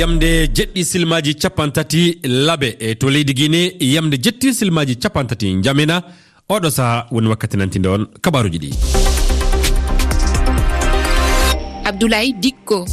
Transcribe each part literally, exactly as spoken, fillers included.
Yamde jeɗɗi silmaaji cappanɗe tati laɓe e to leydi Guinée, yamde jeɗɗi silmaaji cappanɗe tati njamina. Oɗo saha woni wakkati nantinde on kabaruuji ɗi. Abdoulaye Dikko.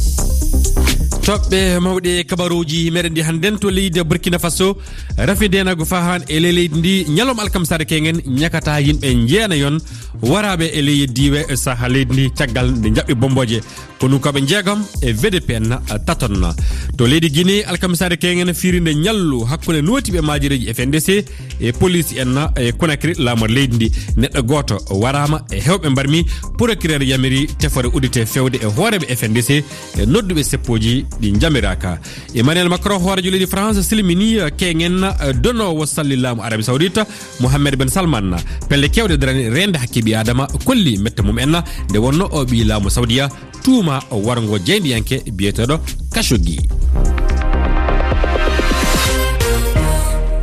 Toɓɓe mawɗe kabaruuji meɗen ɗi hannden to leydi Burkina Faso. Rafi ndenagu fahan e ley leydi ndi, ñalawma alkamisaare kengen ñakata yimɓe njeenayon waraɓe e ley diiwe saha leydi ndi caggal nde jaɓɓi bomboje. Konunkooɓe njeegom e V D P N taton. To leydi Guinée, alkamisaare kengen firinde ñallu hakkunde nootiiɓe maajireeji F N D C e police en e Conakry, laamor leydi ndi. Neɗɗo gooto waraama e heewɓe mbarmi. Procureur yamiri tefore uddite fewde e hooreeɓe F N D C e nodduɓe seppooji ɗi njamiraaka. Emmanuel Macron, hooreejo leydi France, silmini, eh, kengen, eh, donoowo salli laamu Arabie Saoudite, Mohammed Ben Salman. Pelle keewɗe darani reende hakke ɓii Adama kolli mette mum en, nde wonno o ɓii laamu Saoudia tuuma warngo jeyndiyanke biyeteeɗo Khashoggi.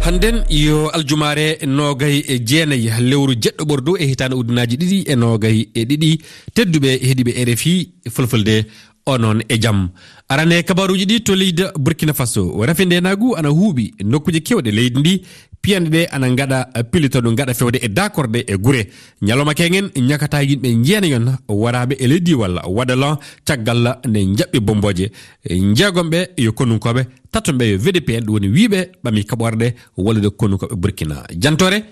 Hannden yo aljumaare noogay e jeenayi lewru jeɗɗo ɓordu e hitaande ujunaaji ɗiɗi e noogay e ɗiɗi. Tedduɓe heɗiiɓe R F I Fulfulde, onon e jam. Arane kabaruuji ɗi to leydi Burkina Faso. Rafi ndenagu ana huuɓi nokkuuje keewɗe leydi ndi. Piyanɗe ɗe ana ngaɗa pilitoɗo ngaɗa fewde e dakorde e gure. Ñalawma kengen ñakata yimɓe njeenayon waraɓe e ley diiwal Wadalan caggal nde jaɓɓi bomboje. Njeegom ɓe yo konunkooɓe, taton ɓe yo V D P N, ɗum woni wiiɓe ɓami kaɓorɗe wallude konunkooɓe Burkina. Jantore,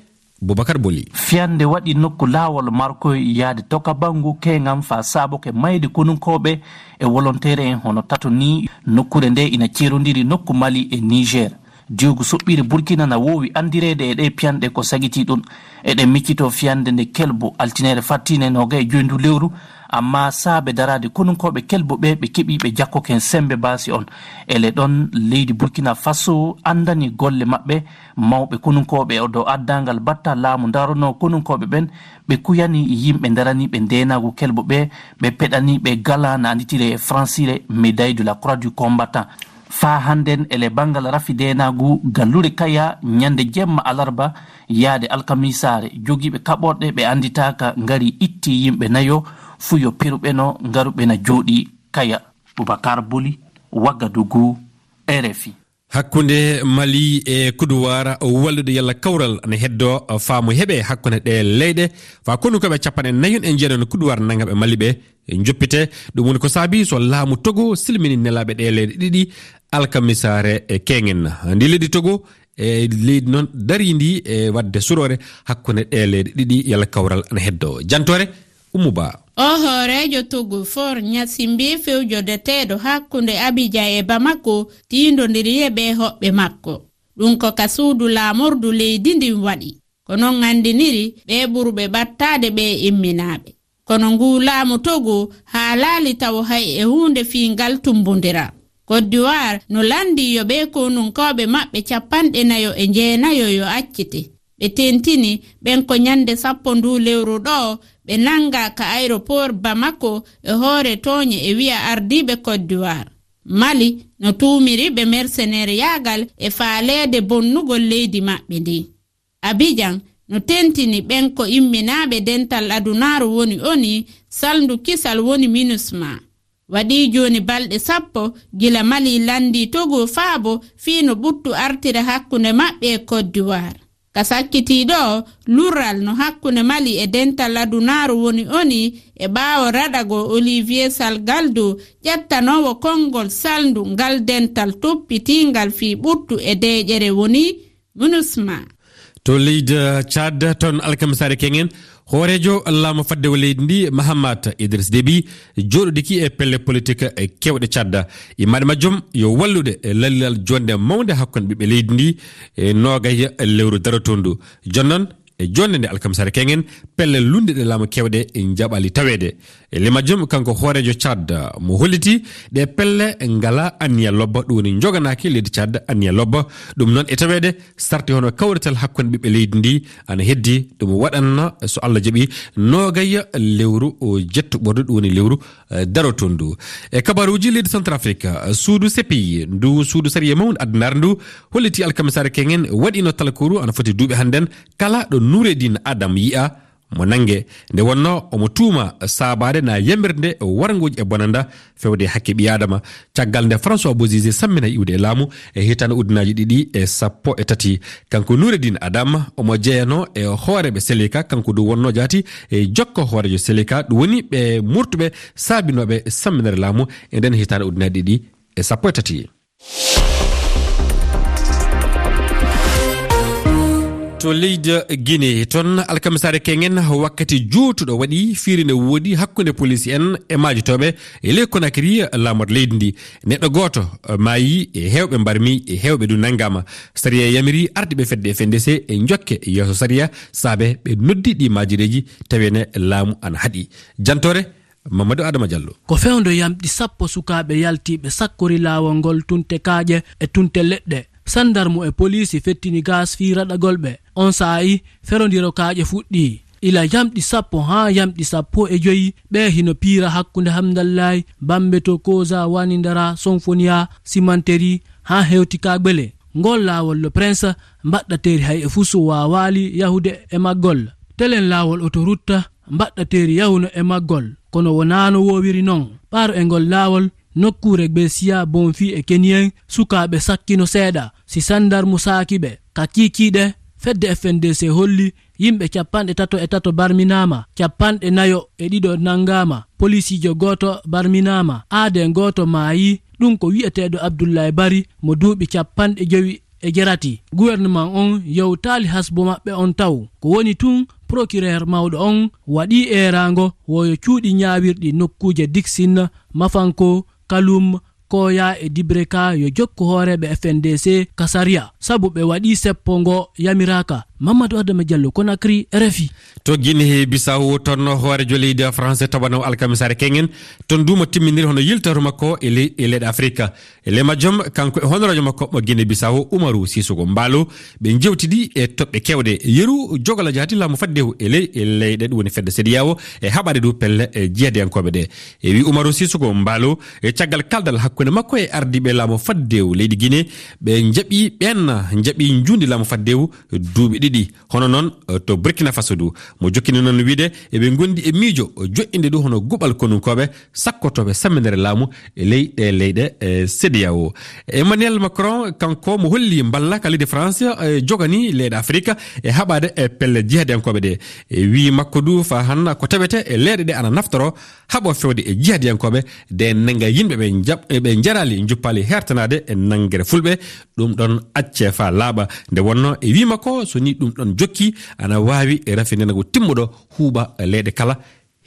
Boubacar Boli. Fiyande waɗi nokku laawol Markoy yaade Toka Bangu Kengam faa saaboke mayde konunkooɓe e wolonteere en hono tato ni. Nokkuure nde ina ceerondiri nokku Mali e Niger. Diwgu soɓɓiire Burkina na woowi anndireede e ɗee piyanɗe ko sagitii ɗum. Eɗen miccitoo fiyande nde kelbu, altineere fattiinde noogay e joy ndu lewru, ammaa saabe daraade konunkooɓe kelbu ɓe, ɓe keɓii ɓe jakkoken semmbe baasi on. Ele ɗon, leydi Burkina Faso anndani golle maɓɓe, mawɓe konunkooɓe o dow addangal batta laamu ndaronoo konunkooɓe ɓen, ɓe kuyani yimɓe ndaraniiɓe ndeenaagu kelbu ɓe, ɓe peɗani ɓe gala na annditiree e fransire médaille de la croix du combattant. Faa hannden ele banngal rafi ndeenaagu Gallure Kaya ñande jemma alarba yaade alkamisaare, jogiiɓe kaɓorɗe ɓe annditaaka ngari itti yimɓe nayo, fuu yo peruɓe no ngaruɓe na jooɗii Kaya. Boubacar Boli, Wagadugu, R F I. Hakkunde Mali e Kuduwaar wallude yalla kawral ana heddo faamu heɓe hakkunde ɗe leyɗe, faa konunkooɓe cappanɗe nayon e njeeɗon Kuduwaar nanngaɓe Mali ɓe njoppite. Ɗum woni ko saabi so laamu Togo silmini nelaaɓe ɗe leyɗe ɗiɗi alkamisaare e kengen. Ndi leydi Togo e leydi noon dariindi e waɗde suroore hakkunde ɗe leyɗe ɗiɗi yalla kawral ana heddo. Jantore, Ummu Ba. O hooreejo Togo, Faure Gnassingbé, fewjodeteeɗo hakkunde Abidjan e Bamako, tiindondiri e ɓee hoɓɓe makko. Ɗum ko ka suudu laamordu leydi ndin waɗi. Ko non anndiniri ɓee ɓurɓe ɓattaade ɓee imminaaɓe. Kono nguu laamu Togo haalaali tawo hay e huunde fii ngal tummbondiral. Côte d'Ivoire no lanndii yo ɓee konunkooɓe maɓɓe cappanɗe nayo e njeenayo yo accite. Ɓe tentini ɓen ko ñande sappo nduu lewru ɗoo ɓe nanngaa ka aéroport Bamako e hoore tooñe e wi'a ardiiɓe Côte d'Ivoire. Mali no tuumiri ɓe merseneeriyaagal e faaleede bonnugol leydi maɓɓe ndin. Abidjan no tentini ɓen ko imminaaɓe dental adunaaru woni ONU, salndu kisal woni MINUSMA. Waɗii jooni balɗe sappo gila Mali lanndii Togo faabo fii no ɓuttu artira hakkunde maɓɓe e Côte d'Ivoire. Ka sakkitiiɗo o, lurral no hakkunde Mali e dental adunaaru woni ONU e ɓaawo raɗagol Olivier Salgaldo, ƴettanoowo konngol salndu ngal dental toppitiingal fii ɓuttu e deeƴere woni MINUSMA. To leydi Tchad, toon alkamisaare kengen, hooreejo laamu faddewu leydi ndi, Mahamat Idriss Déby, jooɗodiki e pelle politik e kewɗe Tchad. Immaade majjum yo wallude e lallilal joonde mawnde hakkunde ɓiɓɓe leydi ndi e noogay lewru darotondu. Jooni noon, e joonde nde alkamisaare kengen, pelle lunnde ɗe laamu kewɗe njaɓali taweede. E ley majjum, kanko hooreejo Tchad mo holliti ɗe pelle ngala anniya lobba, ɗum woni njoganaaki leydi Tchad anniya lobba. Ɗum noon e taweede sarti hono kawrital hakkunde ɓiɓɓe leydi ndi ana heddi, ɗum waɗanna so Allah jaɓi noogay lewru o jettu ɓordu, ɗum woni lewru, eh, darotondu. E kabaruuji leydi Centrafrique, suudu C P I, ndu suudu sariya mawndu addanaare ndu holliti alkamisaare kengen waɗino talkuru ana foti duuɓi hannden kala ɗo Noureddine Adam yi'a mo nannge nde wonnoo omo tuuma saabaade na yamirde warngooji e bonanda fewde hakke ɓii Aadama. Caggal nde François Bozizé sammina iwde e laamu e hitaande ujunnaaji ɗiɗi e sappo e tati, kanko Noureddine Adam omo jeyanoo e hooreeɓe Seleka, kanko du wonnoo jaati e jokko hooreejo Seleka, ɗum woni ɓe murtuɓe saabinooɓe samminere laamu e nden hitaande ujunnaaji ɗiɗi e sappo e tati. To leydi Guinée, toon alkamisaare keŋŋen wakkati juutuɗo waɗi, fiiri ne woodi hakkunde poliisi en e maajotooɓe e ley Conakry, laamorɗo leydi ndi. Neɗɗo gooto maayi, e heewɓe mbarmi, e heewɓe du nanngaama. Sariya yamiri ardiiɓe fedde F N D C e jokke yeeso sariya, saabe ɓe noddi ɗi maajireeji, tawi ne laamu ana haɗi. Jantoore Mamadou Adama Diallo. Ko fewndo yamɗi sappo sukaaɓe yaltiiɓe sakkori laawol ngol tunte kaaƴe e tunte leɗɗe. Sandarmu e poliisi fettini gaas fii raɗagol ɓe. On saa'i, ferondiro kaaƴe fuɗɗii. Ila yamɗi sappo haa yamɗi sappo e joyi, ɓe hino piira hakkunde Hamdallaay, Bambeto, Koza, Wanindara, Sonfoniya, Simanteri, haa hewti Kagbele. Ngol laawol Le Prince, mbaɗɗateeri hay e fusu waawaali yahude e maggol. Telen laawol otorutta, mbaɗɗateeri yahuno e maggol, kono wonaano woowiri non. Ɓaaro e ngol laawol, nokkuure Gbesiya, Bonfi e Keniyen, sukaaɓe sakkino seeɗa, si sandarmu saaki ɓe. Ka kiikiiɗe, fedde F N D C holli yimɓe capanɗe tato e tato barminaama, capanɗe nayo e ɗiɗo nanngaama, polisiijo gooto barminaama, aaden gooto maayi, ɗum ko wi'eteeɗo Abdullaay Bari mo duuɓi capanɗe jowi e jerati. Gouvernement on yewtaali hasbo maɓɓe on taw. Ko woni tun, procureur mawɗo on waɗii eeraango woyo cuuɗi ñaawirɗi nokkuuje Dixine, Mafanko, Kalum, Koya e Dibreka yo jokku hooreeɓe F N D C ka sariya, sabu ɓe waɗii seppo ngo yamiraaka. Mamadou Adama Diallo, Conakry, R F I. To Guinée Bissau, toon hooreejo leydi France tawanoo alkamisaare keŋŋen, toon du mo timminiri hono yiltoro makko e ley-, e leyɗe Afrika. E ley majjum, kanko e honoraajo makko mo Guinée Bissau, Umaru Sissoco Embaló, ɓe jewtidi e toɓɓe keewɗe. Yeru jogola jaati laamu faddewu e ley, e leyɗe ɗum woni fedde CEDEAO e haɓaade du pelle e jihadiyankooɓe ɗe. E wi Umaru Sissoco Embaló, e caggal kaldal hakkunde makko e ardiiɓe laamu faddewu leydi Guinée, ɓe jaɓi ɓeen, jaɓi njuundi laamu faddewu duuɓi ɗiɗi. Hono noon, eh, to Burkina Faso du, mo jokkini noon wiide eɓe ngondi e miijo joɗɗinde du hono guɓal konunkooɓe sakkotooɓe samminere laamu e ley ɗe leyɗe, eh, CEDEAO. Emmanuel Macron, kanko mo holli mballa ka leydi France, eh, jogani leyɗe Afrika e haɓaade e pelle jihadiyankooɓe ɗe. E wii makko du fa han ko tawete e leyɗe ɗe ana naftoro haɓo fewde e jihadiyankooɓe de nanga yimɓe ɓe jaɓ-, ɓe jaraali, juppaali hertanaade e nangere fulɓe. Ɗum ɗon acce fa laaɓa. Nde wonno e wii makko, so ni ɗum ɗon jokki, ana waawi e rafinango timmuɗo huuɓa leyɗe kala,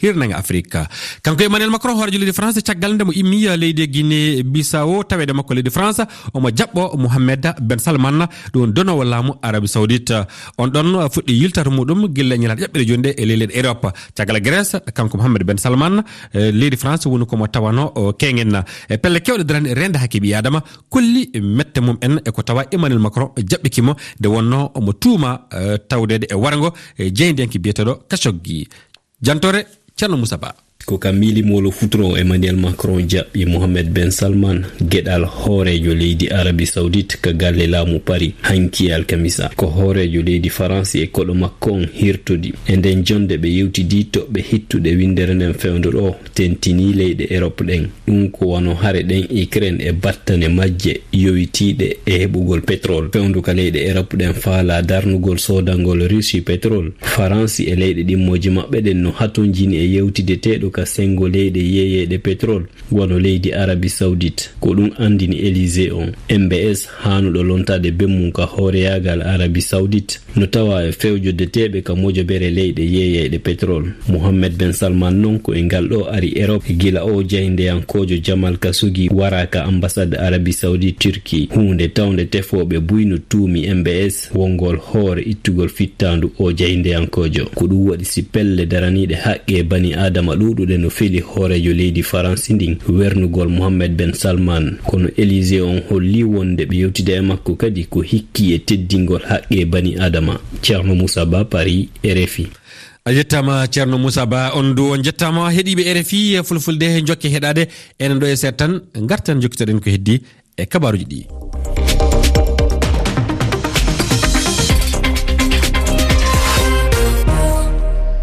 hirnanga Afrika. Kanko Emmanuel Macron, hooreejo leydi France, caggal nde mo immi leydi Guinée Bissau, taweede makko leydi France, omo jaɓɓo Mohamed Ben Salman, ɗum donoowo laamu Arabie Saoudite. On ɗon fuɗɗi yiltata muɗum gila ñalaande ƴaɓɓere jooni nde e ley leyɗe Europe. Caggal Grèce, kanko Mohamed Ben Salman, eh, leydi France woni ko mo tawano o keŋen. E pelle kewɗe darani reende hakke ɓii Adama, kolli mette mum en e ko tawa Emmanuel Macron jaɓɓiki mo nde wonno omo tuuma, eh, tawdeede e warngo, eh, jeyndiyanke biyeteeɗo Khashoggi. Jantore, Ceerno Moussa Ba. Ko ka miilimolo futuro Emmanuel Macron jaɓɓi Mohamed Ben Salman, geɗal hooreejo leydi Arabie Saoudite ka galle laamu Paris, hanki e alkamisa. Ko hooreejo leydi Faransi e koɗo makko on hirtodi. E nden jonde ɓe yewtidi toɓɓe hittuɗe windere nden fewndo ɗo, tentini leyɗe Europe ɗen. Ɗum ko wano hare ɗen Ukraine e battane majje yowitiiɗe e heɓugol petrol. Fewndo ka leyɗe Europe ɗen faala darnugol soodangol Russie petrol. Faransi e leyɗe ɗimmooji maɓɓe ɗen no hatonjini e yewtideteeɗo ka sengo leyɗe yeeyeeɗe petrol, wano leydi Arabie Saoudite. Ko ɗum andini Élysée on. M B S haanuɗo lontaade bemmum ka hooreyaagal Arabie Saoudite no tawa e fewjodeteeɓe ka mojobere leyɗe yeeyeyɗe petrol. Mohammed Ben Salman non ko e ngal ɗo ari Europe gila o jahindeyankoojo Jamal Khashoggi wara ka ambassade Arabie Saoudite Turquie, huunde tawnde tefooɓe buy no tuumi M B S wongol hoore ittugol fittaandu o jahindeyankoojo. Ko ɗum waɗi si pelle daraniiɗe haqqe bani Aadama ɗuuɗuɗe no feli hooreejo leydi Faransi ndin wernugol Mohammed Ben Salman. Kono Élysée on holli wonde ɓe yewtida e makko kadi ko hikki e teddingol haqqe bani Aadama. Ceerno Moussa Ba, Paris, R F I. A yettaama, Ceerno Moussa Ba. On du on njettaama, heɗiiɓe R F I Fulfulde, jokke heɗaade enen ɗo e seeɗa tan, ngarten jokkitoɗen ko heddi e kabaaruuji ɗi.